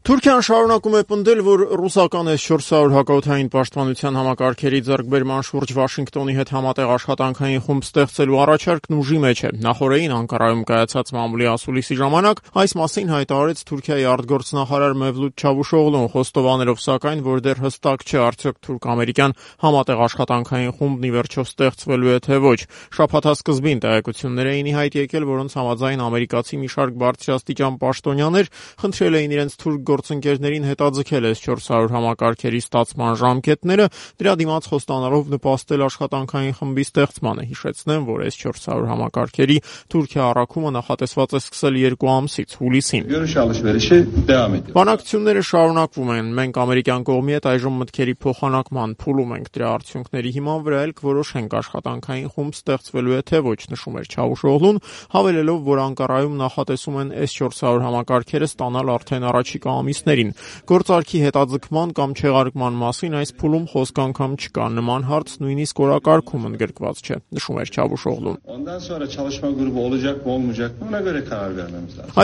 Թուրքիան շարունակում է պնդել, որ ռուսական S-400 հակաօդային պաշտպանության համակարգերի ձեռքբերման շուրջ Վաշինգտոնի հետ համատեղ աշխատանքային խումբ ստեղծելու առաջարկն ուժի մեջ է։ Նախորդին Անկարայում կայացած մամուլի ասուլիսի ժամանակ այս մասին հայտարարեց Թուրքիայի արտգործնախարար Մևլութ Չավուշօղլուն, խոստովանելով սակայն, որ դեռ հստակ չէ արդյոք թուրք-ամերիկյան համատեղ աշխատանքային խումբն ի վերջո ստեղծվելու է թե ոչ։ Շաբաթասկզբին տեղեկություններ էին ի հայտ եկել, որոնց համաձայն ամերիկացի մի շարք բարձրաստիճան պաշտոնյաներ խնդրել էին իրենց թուրք գործընկերներին հետաձգել S-400 համակարգերի ստացման ժամկետները, դրա դիմաց խոստանալով նպաստել աշխատանքային խմբի ստեղծմանը։ Հիշեցնեմ, որ S-400 համակարգերի Թուրքիա առաքումը նախատեսված է սկսել 2 ամսից՝ հուլիսին։ Բանակցությունները շարունակվում են։ Մենք ամերիկյան կողմի հետ այժմ մտքերի փոխանակման փուլում ենք։ Դրա արդյունքների հիման վրա էլ կորոշենք աշխատանքային խումբ ստեղծվելու է թե ոչ, նշում էր Չավուշօղլուն, հավելելով, որ Անկարայում նախատեսում են S-400 համակարգերը ստանալ արդեն առաջիկա ամիսներին։ Գործարքի հետաձգման կամ չեղարկման մասին այս փուլում խոսք անգամ չկա։ Նման հարց նույնիսկ օրակարգում ընդգրկված չէ, նշում էր Չավուշօղլուն։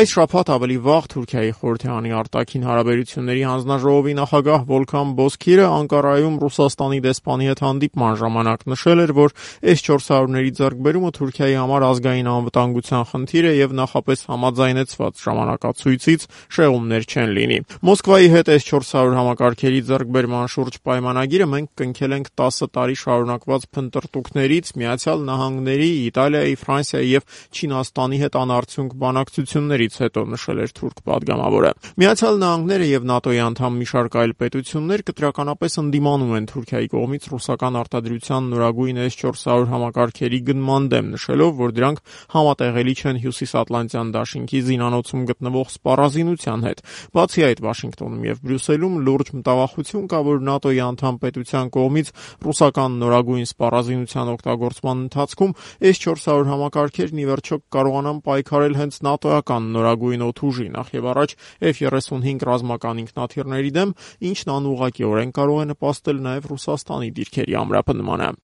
Այս շաբաթ ավելի վաղ Թուրքիայի խորհրդարանի արտաքին հարաբերությունների հանձնաժողովի նախագահ Վոլքան Բոզքիրը Անկարայում Ռուսաստանի դեսպանի հետ հանդիպման ժամանակ նշել էր, որ S-400-ների ձեռքբերումը Թուրքիայի համար ազգային անվտանգության խնդիր է եւ նախապես համաձայնեցված ժամանակացույցից շեղումներ չեն լինի։ Մոսկվայի հետ S-400 համակարգերի ձեռքբերման շուրջ պայմանագիրը մենք կնքել ենք 10 տարի շարունակված փնտրտուքներից, Միացյալ Նահանգների, Իտալիայի, Ֆրանսիայի եւ Չինաստանի հետ անարդյունք բանակցություններից հետո, նշել էր թուրք պատգամավորը։ Միացյալ Նահանգները եւ ՆԱՏՕ-ի անդամ մի շարք այլ պետություններ կտրականապես ընդդիմանում են Թուրքիայի կողմից ռուսական արտադրության նորագույն S-400 համակարգերի գնման դեմ, նշելով, որ դրանք համատեղելի չեն Հյուսիսատլանտյան դաշինքի զինանոցում գտնվող սպառազինության հետ։ Բացի այդ, Վաշինգտոնում եւ Բրյուսելում լուրջ մտավախություն կա, որ ՆԱՏՕ-ի անդամ պետության կողմից ռուսական նորագույն սպառազինության օգտագործման ընթացքում S-400 համակարգերն ի վերջո կարողանան պայքարել հենց ՆԱՏՕ-ական նորագույն օդուժի, նախ եւ առաջ F-35 ռազմական ինքնաթիռների դեմ, ինչն անուղղակիորեն կարող է նպաստել նաեւ Ռուսաստանի դիրքերի ամրապնդմանը։